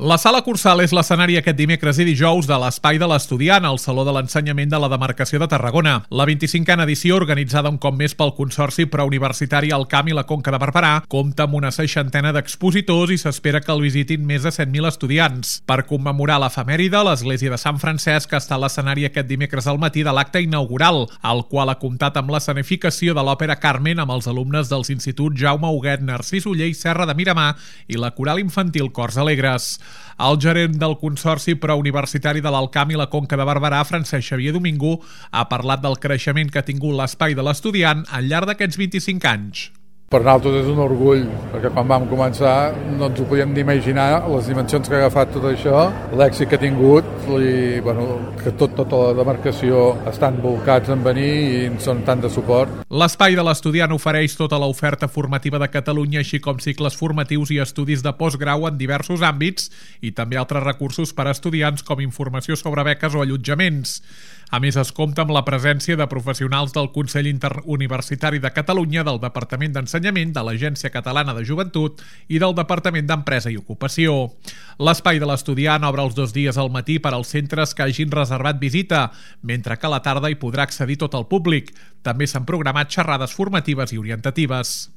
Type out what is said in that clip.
La Sala Cursal és l'escenari aquest dimecres i dijous de l'Espai de l'Estudiant, al Saló de l'Ensenyament de la Demarcació de Tarragona. La 25a edició, organitzada un cop més pel Consorci Preuniversitari Alcamp i la Conca de Barberà, compta amb una 60 d'expositors i s'espera que el visitin més de 100.000 estudiants. Per commemorar l'efemèride, l'Església de Sant Francesc està a l'escenari aquest dimecres al matí de l'acte inaugural, el qual ha comptat amb l'escenificació de l'òpera Carmen amb els alumnes dels instituts Jaume Huguet, Narcís Oller i Serra de Miramar i la coral infantil Cors Alegres. El gerent del Consorci Preuniversitari de l'Alcamp i la Conca de Barberà, Francesc Xavier Domingo, ha parlat del creixement que ha tingut l'Espai de l'Estudiant al llarg d'aquests 25 anys. Per nosaltres és un orgull, perquè quan vam començar no ens ho podíem imaginar, les dimensions que ha agafat tot això, l'èxit que ha tingut, i que tota la demarcació estan volcats en venir i ens donen tant de suport. L'Espai de l'Estudiant ofereix tota l'oferta formativa de Catalunya, així com cicles formatius i estudis de postgrau en diversos àmbits i també altres recursos per a estudiants com informació sobre beques o allotjaments. A més, es compta amb la presència de professionals del Consell Interuniversitari de Catalunya, del Departament d'Ensenyament, de l'Agència Catalana de Joventut i del Departament d'Empresa i Ocupació. L'Espai de l'Estudiant obre els 2 dies al matí per als centres que hagin reservat visita, mentre que a la tarda hi podrà accedir tot el públic. També s'han programat xerrades formatives i orientatives.